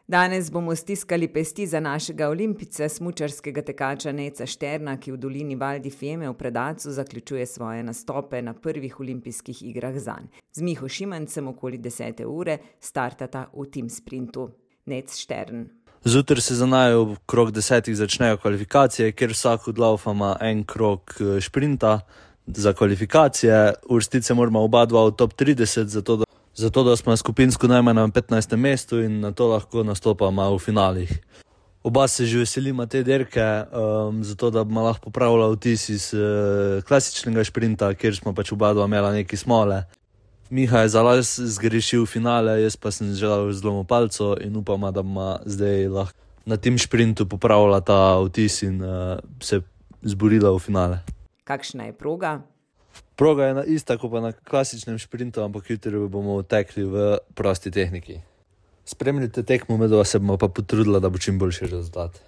Danes bomo stiskali pesti za našega olimpijca, smučarskega tekača Nejca Šterna, ki v dolini Val di Fiemme v Predacu zaključuje svoje nastope na prvih olimpijskih igrah zanj. Z Miho Šimancem okoli 10. ure startata v tim sprintu. Nejc Štern. Zjutraj se za naju okrog 10 začnejo kvalifikacije, kjer vsak od laufov ima en krog šprinta za kvalifikacije. Uvrstiti se moramo oba dva v top 30, zato da smo skupinsko najmanj na 15. mestu in na to lahko nastopamo v finalih. Oba se že veselimo te dirke, zato da bomo lahko popravila vtis iz klasičnega šprinta, kjer smo pač oba dva imela neki smole. Miha je za las zgrešil finale, jaz pa sem želel zlomil palco in upam, da bomo zdaj lahko na tem šprintu popravila ta vtis in se zborila v finale. Kakšna je proga? Proga je ista kot pa na klasičnem šprintu, ampak jutri bomo tekli v prosti tehniki. Spremljite tekmo, medva se bomo pa potrudila, da bo čim boljši rezultat.